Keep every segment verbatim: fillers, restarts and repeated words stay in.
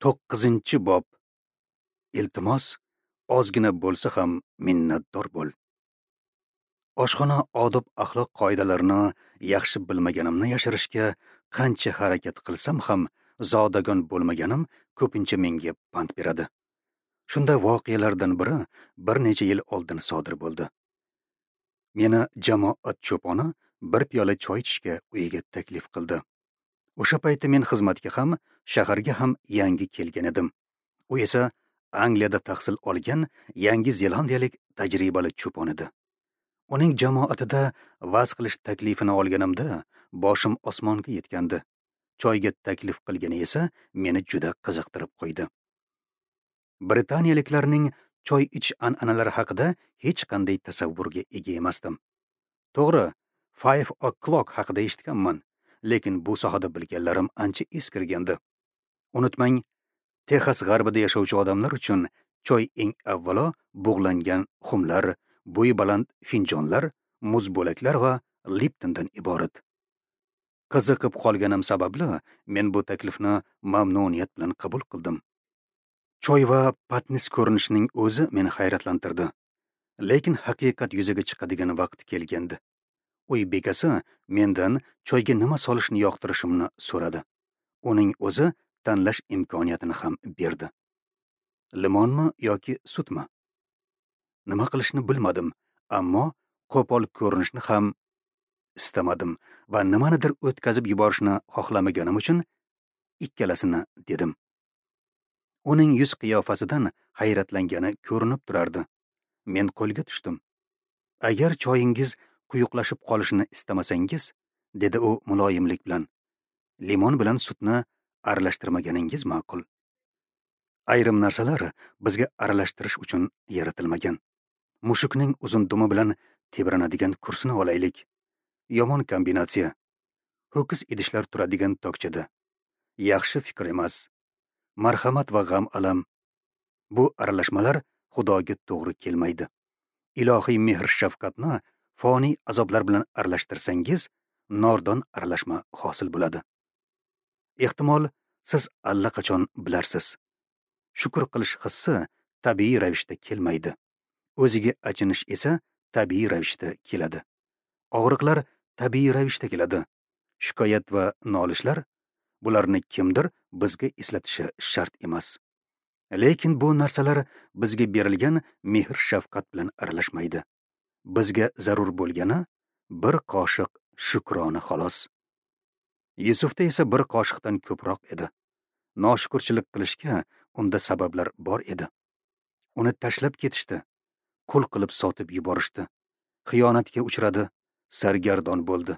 To'qqizinchi bob. Iltimos, ozgina bo'lsa ham minnatdor bo'l. Oshxona odob-axloq qoidalarini yaxshi bilmaganimni yashirishga qancha harakat qilsam ham zodagon bo'lmaganim ko'pincha menga pand beradi. Shunda voqealardan biri bir necha yil oldin sodir bo'ldi. Meni jamoat cho'poni bir piyola choy ichishga uyiga taklif qildi. O'sha paytda men xizmatga ham, shaharga ham yangi kelgan edim. U esa Angliyada tahsil olgan Yangi Zelandiyalik tajribali cho'pon edi. Uning jamoatida va'z qilish taklifini olganimda boshim osmonga yetgandi. Choyga taklif qilgani esa meni juda qiziqtirib qo'ydi. Britaniyaliklarning choy ichish an'analari haqida hech qanday tasavvurga ega emasdim. To'g'ri, Five O'clock haqida eshitganman, lekin bu sohada bilganlarim ancha eskirgandi. Unutmang, Texas g'arbida yashovchi odamlar uchun choy eng avvalo bug'langan xumlar, bo'yi baland finjonlar, muz bo'laklar va Liptondan iborat. Qiziqib qolganim sababli men bu taklifni mamnuniyat bilan qabul qildim. Choy va patnis ko'rinishining o'zi meni hayratlantirdi. Lekin haqiqat yuzaga chiqadigan vaqt kelgandi. Uy bekasi mendan choyga nima solishni yoqtirishimni so'radi. Uning o'zi tanlash imkoniyatini ham berdi. Limonmi yoki sutmi? Nima qilishni bilmadim, ammo qo'pol ko'rinishni ham istamadim va nimanidir o'tkazib yuborishni xohlamaganim uchun ikkalasini dedim. Uning yuz qiyofasidan hayratlangani ko'rinib turardi. Men qo'lga tushdim. Agar choyingiz quyuqlashib qolishini istamasangiz, dedi u muloyimlik bilan, limon bilan sutni aralashtirmaganingiz ma'qul. Ayrim narsalar bizga aralashtirish uchun yaratilmagan. Mushukning uzun dumi bilan tebranadigan kursini olaylik. Yomon kombinatsiya. Ho'kiz idishlar turadigan tokchada. Yaxshi fikr emas. Marhamat va g'am alam. Bu aralashmalar Xudoga to'g'ri kelmaydi. Ilohiy mehr shafqatni foniy azoblar bilan aralashtirsangiz, nordon aralashma hosil bo'ladi. Ehtimol siz allaqachon bilarsiz. Shukr qilish hissi tabiiy ravishda kelmaydi. O'ziga achinish esa tabiiy ravishda keladi. Og'riqlar tabiiy ravishda keladi. Shikoyat va nolishlar, bularni kimdir bizga eslatishi shart emas. Lekin bu narsalar bizga berilgan mehr shafqat bilan aralashmaydi. Bizga zarur bo'lgani bir qoshiq shukrona xolos. Yusufda esa bir qoshiqdan ko'proq edi. Noshukurchilik qilishga unda sabablar bor edi. Uni tashlab ketishdi, qul qilib sotib yuborishdi. Xiyonatga uchradi, sargardon bo'ldi.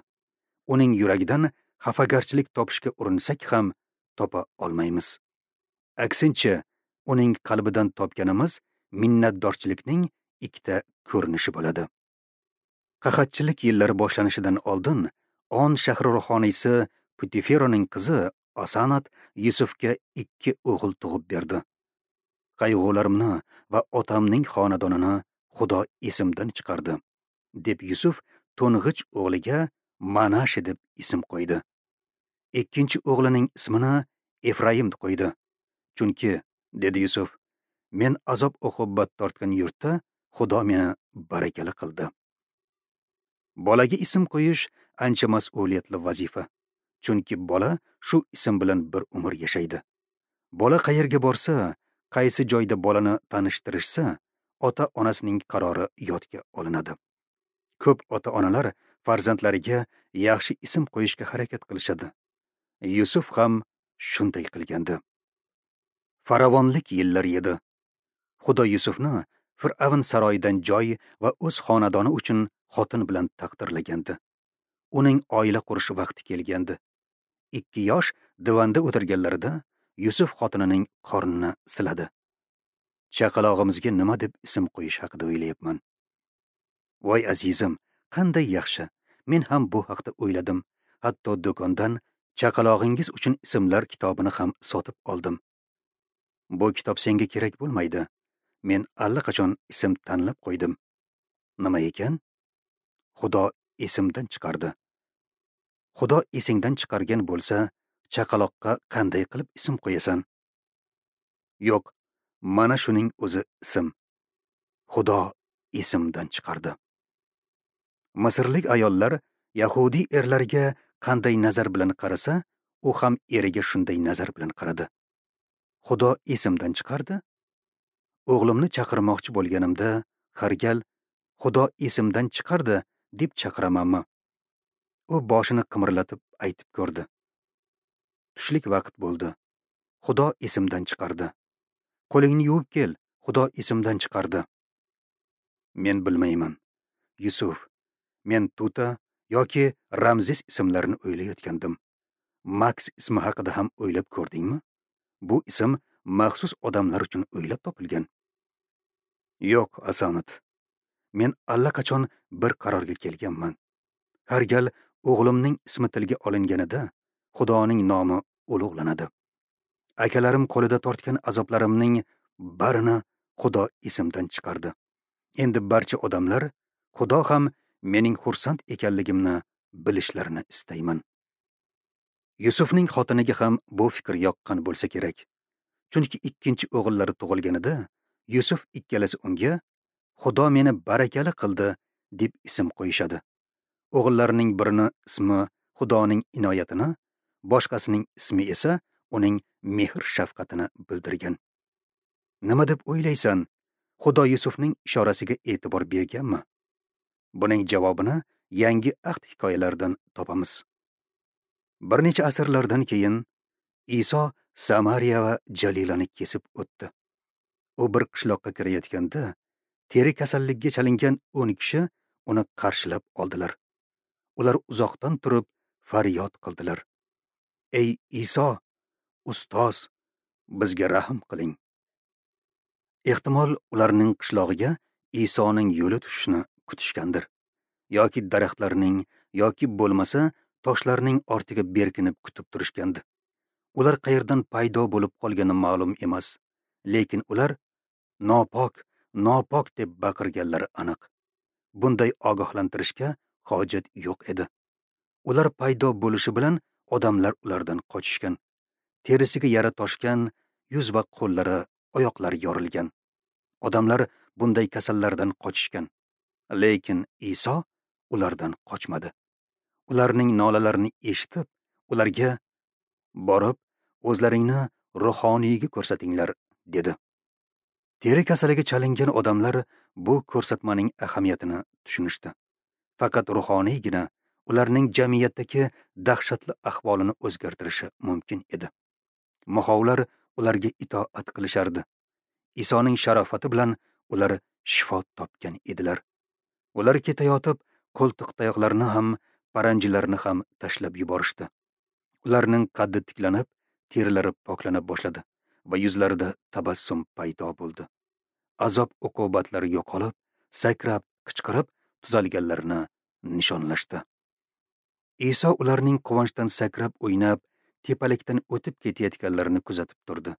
Uning yuragidan xafagarchilik topishga urinsak ham topa olmaymiz. Aksincha, uning qalbidan topganimiz minnatdorchilikning ikkita ko'rinishi bo'ladi. Qahatchilik yillari boshlanishidan oldin On shahri ruhoniysi Putiferoning qizi Asanat Yusufga ikki o'g'il tug'ib berdi. Qayg'ularimni va otamning xonadonini Xudo esimdan chiqardi, deb Yusuf to'ng'ich o'g'liga Manashi deb ism qo'ydi. Ikkinchi o'g'lining ismini Efraim qo'ydi. Chunki, dedi Yusuf, men azob uqubat tortgan yurtda Xudo meni barakali qildi. Bolaga ism qo'yish ancha mas'uliyatli vazifa. Chunki bola shu ism bilan bir umr yashaydi. Bola qayerga borsa, qaysi joyda bolani tanishtirishsa, ota-onasining qarori yodga olinadi. Ko'p ota-onalar farzandlariga yaxshi ism qo'yishga harakat qilishadi. Yusuf ham shunday qilgandi. Farovonlik yillari edi. Xudo Yusufni Fir'avn saroyidan joy va o'z xonadoni uchun xotin bilan taqdirlagandi. Uning oila qurish vaqti kelgandi. Ikki yosh divanda o'tirganlarida Yusuf xotinining qornini siladi. Chaqalog'imizga nima deb ism qo'yish haqida o'ylayapman. Voy azizim, qanday yaxshi. Men ham bu haqda o'yladim. Hatto do'kondan chaqalog'ingiz uchun ismlar kitobini ham sotib oldim. Bu kitob senga kerak bo'lmaydi. Men allaqachon ism tanlab qo'ydim. Nima ekan? Xudo esimdan chiqardi. Xudo esingdan chiqargan bo'lsa, chaqaloqqa qanday qilib ism qo'yasan? Yo'q, mana shuning o'zi ism. Xudo esimdan chiqardi. Misrlik ayollar yahudiy erlarga qanday nazar bilan qarasa, u ham eriga shunday nazar bilan qaradi. Xudo esimdan chiqardi. O'g'limni chaqirmoqchi bo'lganimda har gal Xudo esimdan chiqardi deb chaqiramanmi? U boshini qimirlatib aytib ko'rdi. Tushlik vaqt bo'ldi. Xudo esimdan chiqardi. Qo'lingni yuvib kel, Xudo esimdan chiqardi. Men bilmayman. Yusuf, men Tuta yoki Ramzes ismlarini o'ylayotgandim. Max ismi haqida ham o'ylab ko'rdingmi? Bu ism maxsus odamlar uchun o'ylab topilgan. Yo'q, Asanat. Men allaqachon bir qarorga kelganman. Har gal o'g'limning ismi tilga olinganida Xudoning nomi ulug'lanadi. Akalarim qo'lida tortgan azoblarimning barini Xudo esimdan chiqardi. Endi barcha odamlar Xudo ham mening xursand ekanligimni bilishlarini istayman. Yusufning xotiniga ham bu fikr yoqqan bo'lsa kerak. Chunki ikkinchi o'g'illari tug'ilganida Yusuf ikkalasi unga Xudo meni barakali qildi deb ism qo'yishadi. O'g'illarining birini ismi Xudoning inoyatini, boshqasining ismi esa uning mehr shafqatini bildirgan. Nima deb o'ylaysan? Xudo Yusufning ishorasiga e'tibor berganmi? Buning javobini yangi ahd hikoyalaridan topamiz. Bir necha asrlardan keyin Iso Samariya va Jalilani kesib o'tdi. U bir qishloqqa kirayotganda teri kasalligiga chalingan o'n kishi uni qarshilab oldilar. Ular uzoqdan turib faryod qildilar. Ey Iso, ustoz, bizga rahm qiling. Ehtimol ularning qishlog'iga Isoning yo'li tushishini kutishgandir. Yoki daraxtlarning, yoki bo'lmasa toshlarning ortiga berkinib kutib turishgandi. Ular qayerdan paydo bo'lib qolgani ma'lum emas, lekin ular nopok, nopok deb baqirganlari aniq. Bunday ogohlantirishga hojat yo'q edi. Ular paydo bo'lishi bilan odamlar ulardan qochishgan. Terisiga yara toshgan, yuz va qo'llari, oyoqlari yorilgan. Odamlar bunday kasallardan qochishgan. Lekin Iso ulardan qochmadi. Ularning nolalarini eshitib, ularga borib, o'zlaringni ruhoniyga ko'rsatinglar, dedi. Teri kasaliga chalingan odamlar bu ko'rsatmaning ahamiyatini tushunishdi. Faqat ruhoniygina ularning jamiyatdagi dahshatli ahvolini o'zgartirishi mumkin edi. Muhovlar ularga itoat qilishardi. Isoning sharofati bilan ular shifo topgan edilar. Ular ketayotib, qo'ltiqtayoqlarni ham, paranjilarni ham tashlab yuborishdi. Ularning qaddi tiklanib, terilari poklana boshladi va yuzlarida tabassum paydo bo'ldi. Azob uqubatlari yo'qolib, sakrab, qichqirib, tuzalganlarini nishonlashdi. Iso ularning quvonchdan sakrab o'ynab, tepalikdan o'tib ketayotganlarini kuzatib turdi.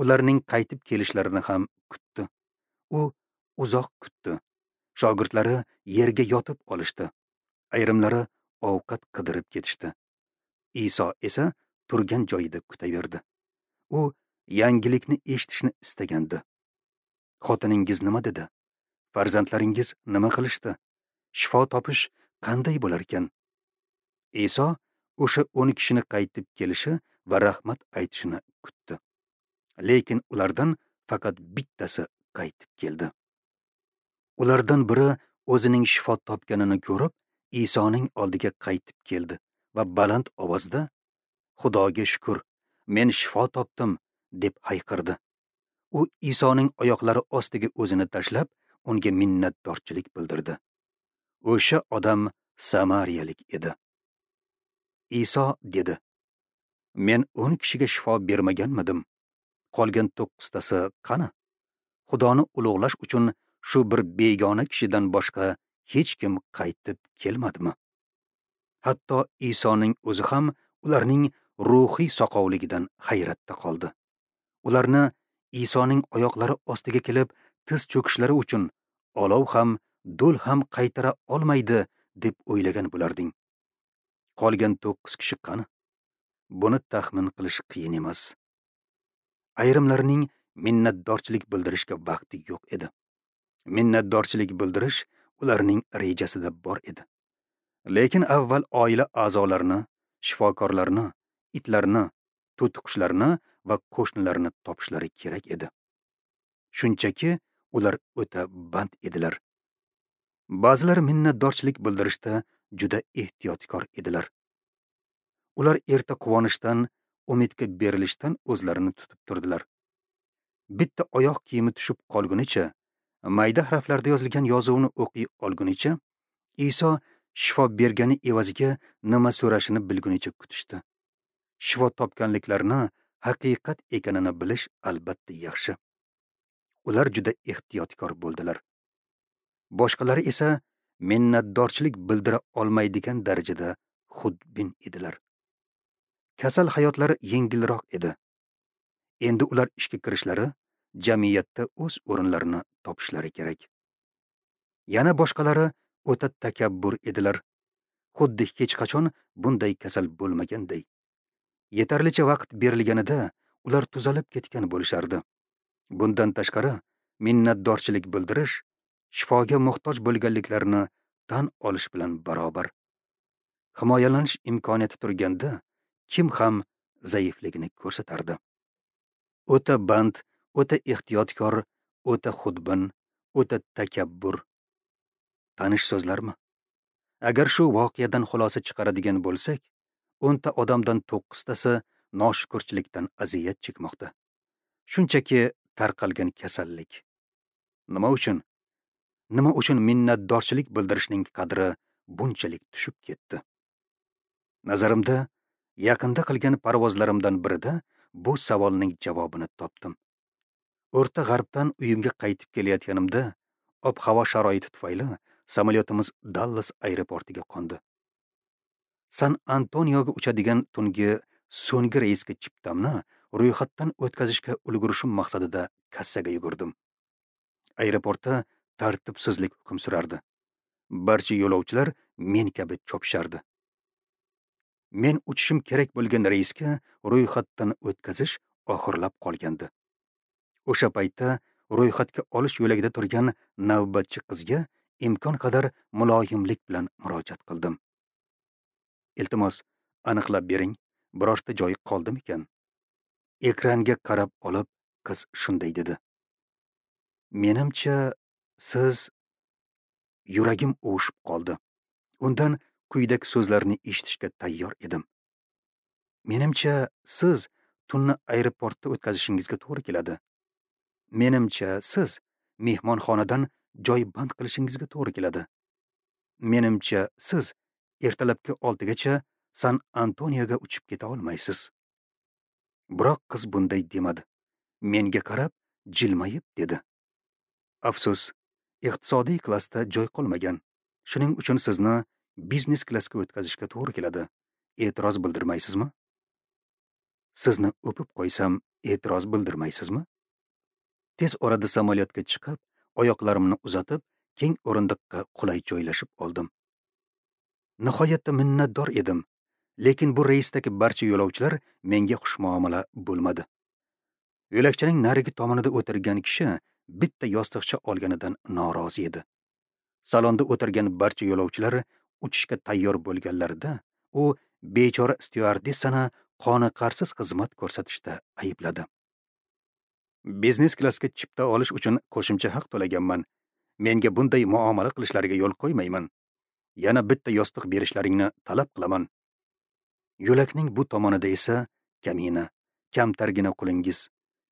Ularning qaytib kelishlarini ham kutdi. U uzoq kutdi. Shogirdlari yerga yotib olishdi. Ayrimlari ovqat qidirib ketishdi. Iso esa turgan joyida kutaverdi. U yangilikni eshitishni istagandi. Xotiningiz nima dedi? Farzandlaringiz nima qilishdi? Shifo topish qanday bo'lar ekan? Iso o'sha o'n kishini qaytib kelishi va rahmat aytishini kutdi. Lekin ulardan faqat bittasi qaytib keldi. Ulardan biri o'zining shifo topganini ko'rib, Isoning oldiga qaytib keldi va baland ovozda Xudoga shukr, men shifo topdim, deb hayqirdi. U Isoning oyoqlari ostiga o'zini tashlab, unga minnatdorchilik bildirdi. O'sha odam samariyalik edi. Iso dedi: Men o'n kishiga shifo bermaganmidim? Qolgan to'qqiztasi qani? Xudoni ulug'lash uchun shu bir begona kishidan boshqa hech kim qaytib kelmadimi? Hatto Isoning o'zi ham ularning ruhiy soqovligidan hayratda qoldi. Ularni Isoning oyoqlari ostiga kelib tiz cho'kishlari uchun olov ham, do'l ham qaytara olmaydi deb o'ylagan bo'larding. Qolgan to'qqiz kishi qani? Buni taxmin qilish qiyin emas. Ayrimlarining minnatdorchilik bildirishga vaqti yo'q edi. Minnatdorchilik bildirish ularning rejasida bor edi. Lekin avval oila a'zolarini, shifokorlarni, itlarni, to'tiqushlarni va qo'shnilarni topishlari kerak edi. Shunchaki ular o'ta band edilar. Ba'zilar minnatdorchilik bildirishda juda ehtiyotkor edilar. Ular erta quvonishdan, umidga berilishdan o'zlarini tutib turdilar. Bitta oyoq kiyimi tushib qolgunicha, mayda harflarda yozilgan yozuvni o'qiy olgunicha, Iso shifo bergani evaziga nima so'rashini bilgunicha kutishdi. Shifo topganliklarini haqiqat ekanini bilish albatta yaxshi. Ular juda ehtiyotkor bo'ldilar. Boshqalari esa minnatdorchilik bildira olmaydigan darajada xudbin edilar. Kasal hayotlari yengilroq edi. Endi ular ishga kirishlari, jamiyatda o'z o'rinlarini topishlari kerak. Yana boshqalari o'ta takabbur edilar. Xuddi hech qachon bunday kasal bo'lmaganday. Yetarlicha vaqt berilganida ular tuzalib ketgan bo'lishardi. Bundan tashqari, minnatdorchilik bildirish shifoga muhtoj bo'lganliklarini tan olish bilan barobar. Himoyalanish imkoniyati turganda kim ham zaifligini ko'rsatardi. O'ta band, o'ta ehtiyotkor, o'ta xudbin, o'ta takabbur. Tanish so'zlarmi? Agar shu voqeadan xulosa chiqaradigan bo'lsak, o'nta odamdan to'qqiztasi noshukurchilikdan aziyat chekmoqda. Shunchaki tarqalgan kasallik. Nima uchun? Nima uchun minnatdorchilik bildirishning qadri bunchalik tushib ketdi? Nazarimda, yaqinda qilgan parvozlarimdan birida bu savolning javobini topdim. O'rta G'arbdan uyimga qaytib kelayotganimda, ob-havo sharoiti tufayli samolyotimiz Dallas aeroportiga qo'ndi. San Antonioga uchadigan tungi so'nggi reysga chiptamni ro'yxatdan o'tkazishga ulgurishim maqsadida kassaga yugurdim. Aeroportda tartibsizlik hukm surardi. Barcha yo'lovchilar men kabi chopishardi. Men uchishim kerak bo'lgan reysga ro'yxatdan o'tkazish oxirlab qolgandi. O'sha paytda ro'yxatga olish yo'lagida turgan navbatchi qizga imkon qadar muloyimlik bilan murojaat qildim. Iltimos, aniqlab bering, birorta joyi qoldimikan? Ekranga qarab olib, qiz shunday dedi. Menimcha, siz... Yuragim uvushib qoldi. Undan quyidagi so'zlarni eshitishga tayyor edim. Menimcha, siz tunni aeroportda o'tkazishingizga to'g'ri keladi. Menimcha, siz mehmonxonadan joy band qilishingizga to'g'ri keladi. Menimcha, siz ertalabki oltigacha San Antonioga uchib keta olmaysiz. Biroq qiz bunday demadi. Menga qarab jilmayib dedi. Afsus, iqtisodiy klassda joy qolmagan. Shuning uchun sizni biznes klassga o'tkazishga to'g'ri keladi. E'tiroz bildirmaysizmi? Sizni o'pib qo'ysam, e'tiroz bildirmaysizmi? Tez orada samolyotga chiqib, oyoqlarimni uzatib, keng o'rindiqqa qulay joylashib oldim. Nihoyatda minnatdor edim, lekin bu reysdagi barcha yo'lovchilar menga xushmuomala bo'lmadi. Yo'lakchaning narigi tomonida o'tirgan kishi bitta yostiqcha olganidan norozi edi. Salonda o'tirgan barcha yo'lovchilar uchishga tayyor bo'lganlarida, u bechora styuardessani qoniqarsiz xizmat ko'rsatishda aybladi. Biznes klassga chipta olish uchun qo'shimcha haq to'laganman. Menga bunday muomala qilishlariga yo'l qo'ymayman. Yana bitta yostiq berishlaringni talab qilaman. Yo'lakning bu tomonida esa kamina, kamtargina qulingiz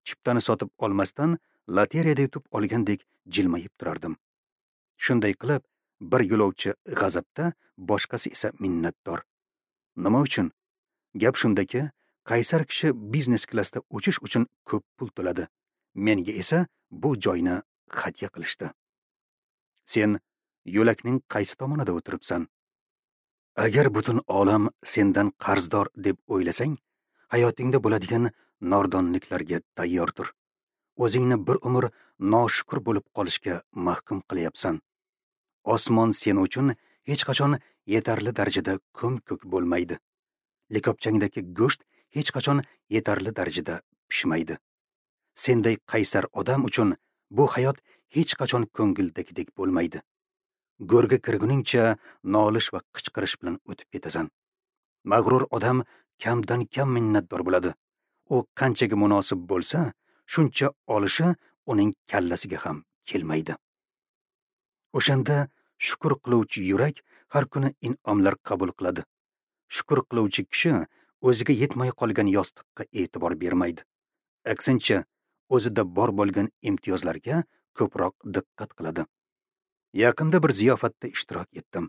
chiptani sotib olmasdan loteriyada yutib olgandek jilmayib turardim. Shunday qilib, bir yo'lovchi g'azabda, boshqasi esa minnatdor. Nima uchun? Gap shundaki, qaysar kishi biznes klassda uchish uchun ko'p pul to'ladi. Menga esa bu joyni hadya qilishdi. Sen yo'lakning qaysi tomonida o'tiribsan? Agar butun olam sendan qarzdor deb o'ylasang, hayotingda bo'ladigan nordonliklarga tayyor tur. O'zingni bir umr noshukur bo'lib qolishga mahkum qilyapsan. Osmon sen uchun hech qachon yetarli darajada ko'm-ko'k bo'lmaydi. Likopchangdagi go'sht hech qachon yetarli darajada pishmaydi. Senday qaysar odam uchun bu hayot hech qachon ko'ngildagidek bo'lmaydi. Go'rga kirguningcha nolish va qichqirish bilan o'tib ketasan. Mag'rur odam kamdan kam minnatdor bo'ladi. U qanchaga munosib bo'lsa, shuncha olishi uning kallasiga ham kelmaydi. O'shanda shukr qiluvchi yurak har kuni in'omlar qabul qiladi. Shukr qiluvchi kishi o'ziga yetmay qolgan yostiqqa e'tibor bermaydi. Aksincha, o'zida bor bo'lgan imtiyozlarga ko'proq diqqat qiladi. Yaqinda bir ziyofatda ishtirok etdim.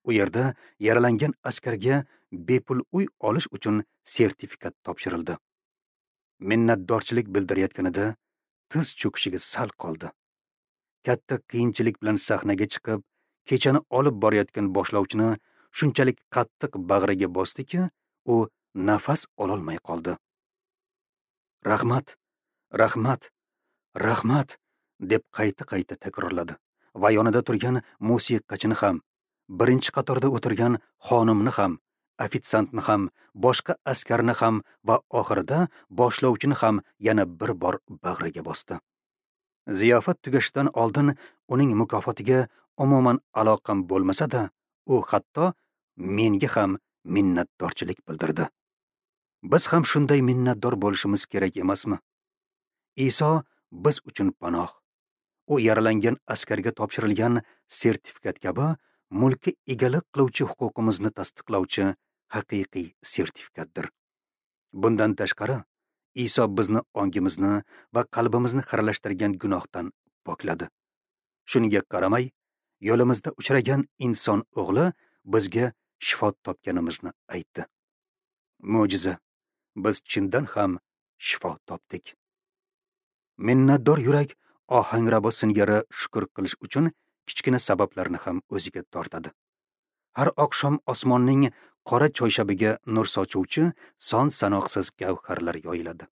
U yerda yaralangan askarga bepul uy olish uchun sertifikat topshirildi. Minnatdorchilik bildirayotganida tiz cho'kishiga sal qoldi. Katta qiyinchilik bilan sahnaga chiqib, kechani olib borayotgan boshlovchini shunchalik qattiq bag'riga bosdiki, u nafas ololmay qoldi. Rahmat, rahmat, rahmat deb qayta-qayta takrorladi va yonida turgan musiqachini ham, birinchi qatorda o'tirgan xonimni ham, ofitsiantni ham, boshqa askarni ham va oxirida boshlovchini ham yana bir bor bag'riga bosdi. Ziyofat tugashidan oldin uning mukofotiga umuman aloqam bo'lmasa-da, u hatto menga ham minnatdorchilik bildirdi. Biz ham shunday minnatdor bo'lishimiz kerak emasmi? Iso biz uchun panoh. U yaralangan askarga topshirilgan sertifikat kabi mulkka egalik qiluvchi huquqimizni tasdiqlovchi haqiqiy sertifikatdir. Bundan tashqari, Iso bizni ongimizni va qalbimizni xiralashtirgan gunohdan pokladi. Shunga qaramay, yo'limizda uchragan inson o'g'li bizga shifo topganimizni aytdi. Mo'jiza. Biz chindan ham shifo topdik. Minnatdor yurak ohangrabo singari shukr qilish uchun kichkina sabablarni ham o'ziga tortadi. Har oqshom osmonning qora choyshabiga nur sochuvchi son sanoqsiz gavharlar yoyiladi.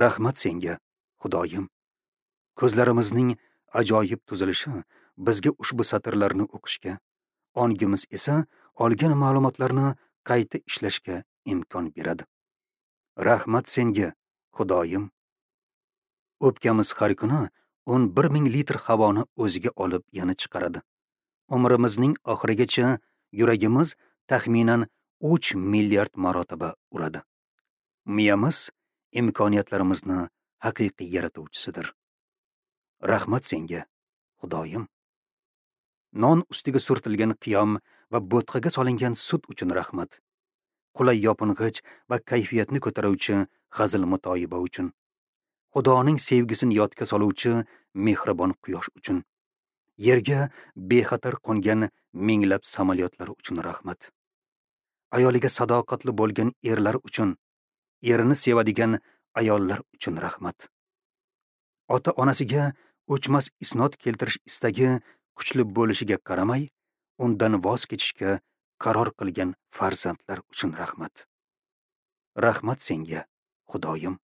Rahmat senga, Xudoyim. Ko'zlarimizning ajoyib tuzilishi bizga ushbu satrlarni o'qishga, ongimiz esa olgan ma'lumotlarni qayta ishlashga imkon beradi. Rahmat senga, Xudoyim. O'pkamiz har kuni o'n bir ming litr havoni o'ziga olib yana chiqaradi. Umrimizning oxirigacha yuragimiz taxminan uch milliard marotaba uradi. Miyamiz imkoniyatlarimizni haqiqiy yaratuvchisidir. Rahmat senga, Xudoyim. Non ustiga surtilgan qiyom va bo'tqaga solingan sut uchun rahmat. Qulay yoping'ich va kayfiyatni ko'taruvchi g'azil mutoyiba uchun. Xudoning sevgisini yodga soluvchi mehribon quyosh uchun. Yerga bexatar qo'ngan minglab samolyotlar uchun rahmat. Ayoliga sadoqatli bo'lgan erlar uchun, erini sevadigan ayollar uchun rahmat. Ota-onasiga o'chmas isnod keltirish istagi kuchli bo'lishiga qaramay, undan voz kechishga qaror qilgan farzandlar uchun rahmat. Rahmat senga, Xudoyim.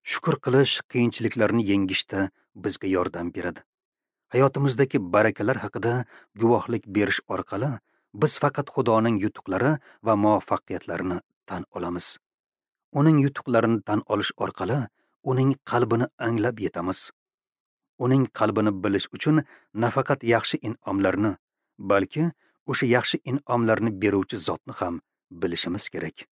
Shukr qilish qiyinchiliklarni yengishda bizga yordam beradi. Hayotimizdagi barakalar haqida guvohlik berish orqali biz faqat Xudoning yutuqlari va muvaffaqiyatlarini tan olamiz. Uning yutuqlarini tan olish orqali uning qalbini anglab yetamiz. Uning qalbini bilish uchun nafaqat yaxshi in'omlarni, balki o'sha yaxshi in'omlarni beruvchi zotni ham bilishimiz kerak.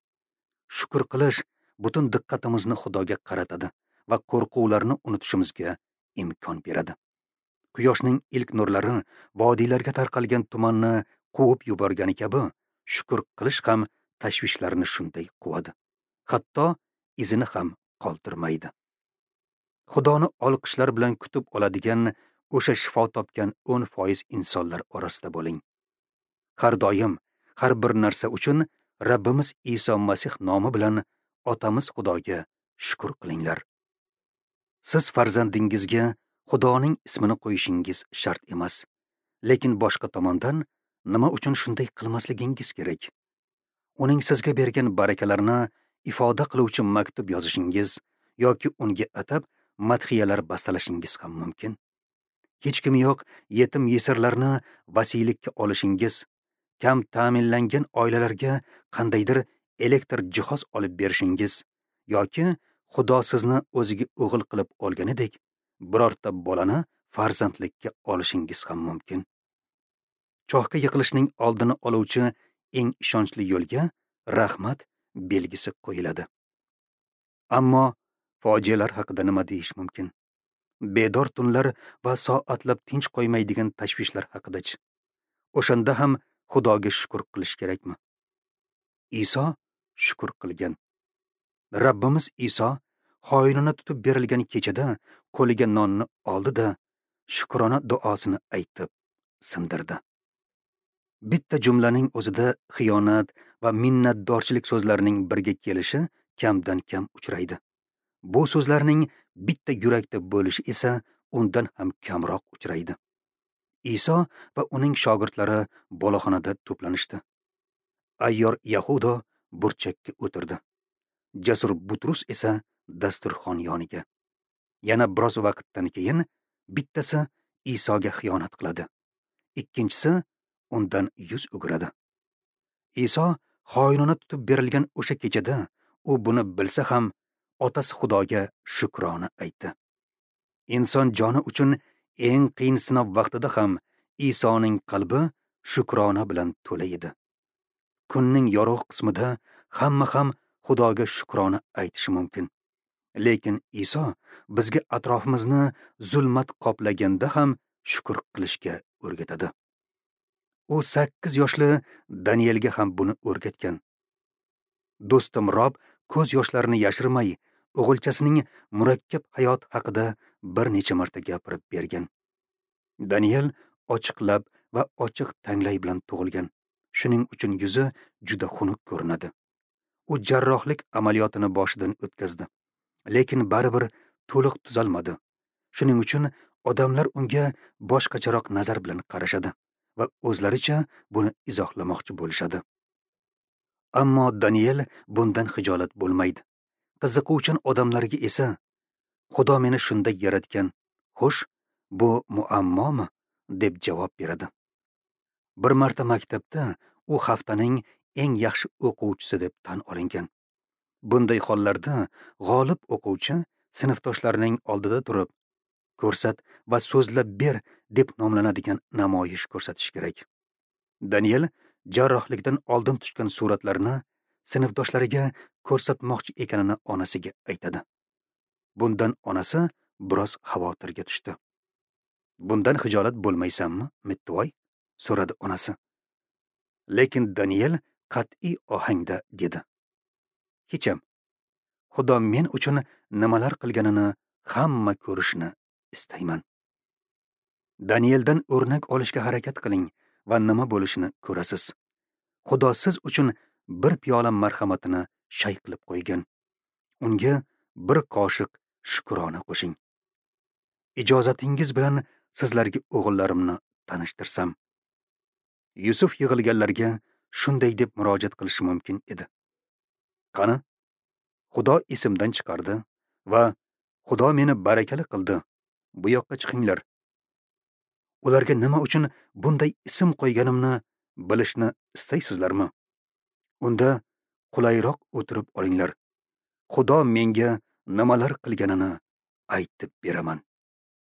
Shukr qilish butun diqqatimizni Xudoga qaratadi va qo'rquvlarni unutishimizga imkon beradi. Quyoshning ilk nurlari vodiylarga tarqalgan tumanni quvib yuborgani kabi, shukr qilish ham tashvishlarni shunday quvadi. Hatto izini ham qoldirmaydi. Xudoni olqishlar bilan kutib oladigan o'sha shifo topgan o'n foiz insonlar orasida bo'ling. Har doim, har bir narsa uchun Rabbimiz Iso Masih nomi bilan Otamiz Xudoga shukr qilinglar. Siz farzandingizga Xudoning ismini qo'yishingiz shart emas. Lekin boshqa tomondan nima uchun shunday qilmasligingiz kerak? Uning sizga bergan barakalarini ifoda qiluvchi maktub yozishingiz yoki unga atab madhiyalar bastalashingiz ham mumkin. Hech kim yo'q yetim yesirlarni vasiylikka olishingiz, kam ta'minlangan oilalarga qandaydir elektr jihoz olib berishingiz yoki Xudo sizni o'ziga o'g'il qilib olganidek, birorta bolani farzandlikka olishingiz ham mumkin. Chohga yiqilishning oldini oluvchi eng ishonchli yo'lga rahmat belgisi qo'yiladi. Ammo fojialar haqida nima deyish mumkin? Bedor tunlar va soatlab tinch qo'ymaydigan tashvishlar haqidachi? O'shanda ham Xudoga shukr qilish kerakmi? Iso shukr qilgan. Rabbimiz Iso xoinini tutib berilgan kechada qo'liga nonni oldi-da, shukrona duosini aytib sindirdi. Bitta jumlaning o'zida xiyonat va minnatdorchilik so'zlarining birga kelishi kamdan kam uchraydi. Bu so'zlarning bitta yurakda bo'lishi esa undan ham kamroq uchraydi. Iso va uning shogirdlari boloxonada to'planishdi. Ayyor Yahudo burchakka o'tirdi. Jasur Butrus esa dasturxon yoniga. Yana biroz vaqtdan keyin bittasi Isoga xiyonat qiladi. Ikkinchisi undan yuz o'giradi. Iso xoinona tutib berilgan o'sha kechada u buni bilsa ham otasi Xudoga shukrona aytdi. Inson joni uchun eng qiyin sinov vaqtida ham Isoning qalbi shukrona bilan to'la edi. Kunning yorug' qismida hamma ham Xudoga shukrona aytishi mumkin. Lekin Iso bizga atrofimizni zulmat qoplaganda ham shukr qilishga o'rgatadi. U sakkiz yoshli Danielga ham buni o'rgatgan. Do'stim Rob ko'z yoshlarini yashirmay, o'g'ilchasining murakkab hayot haqida bir necha marta gapirib bergan. Daniel ochiq lab va ochiq tanglay bilan tug'ilgan. Shuning uchun yuzi juda xunuk ko'rinadi. U jarrohlik amaliyotini boshidan o'tkazdi, lekin baribir to'liq tuzalmadi. Shuning uchun odamlar unga boshqacharoq nazar bilan qarashadi va o'zlaricha buni izohlamoqchi bo'lishadi. Ammo Daniel bundan xijolat bo'lmaydi. Qiziquvchan odamlarga esa Xudo meni shunday yaratgan, xo'sh, bu muammomi deb javob beradi. Bir marta maktabda u haftaning eng yaxshi o'quvchisi deb tan olingan. Bunday hollarda g'olib o'quvchi sinfdoshlarining oldida turib, ko'rsat va so'zlab ber deb nomlanadigan namoyish ko'rsatish kerak. Daniel jarrohlikdan oldin tushgan suratlarni sinfdoshlariga ko'rsatmoqchi ekanini onasiga aytadi. Bundan onasi biroz xavotirga tushdi. Bundan xijolat bo'lmaysanmi, Mittivoy? So'radi onasi. Lekin Daniel qat'iy ohangda dedi: Hecham. Xudo men uchun nimalar qilganini hamma ko'rishini istayman. Danieldan o'rnak olishga harakat qiling va nima bo'lishini ko'rasiz. Xudo siz uchun bir piyola marhamatini shay qilib qo'ygan. Unga bir qoshiq shukrona qo'shing. Ijozatingiz bilan sizlarga o'g'illarimni tanishtirsam. Yusuf yig'ilganlarga shunday deb murojaat qilishi mumkin edi: Qani, Xudo esimdan chiqardi va Xudo meni barakali qildi. Bu yoqqa chiqinglar. Ularga nima uchun bunday ism qo'yganimni bilishni istaysizlarmi? Unda qulayroq o'tirib olinglar. Xudo menga nimalar qilganini aytib beraman.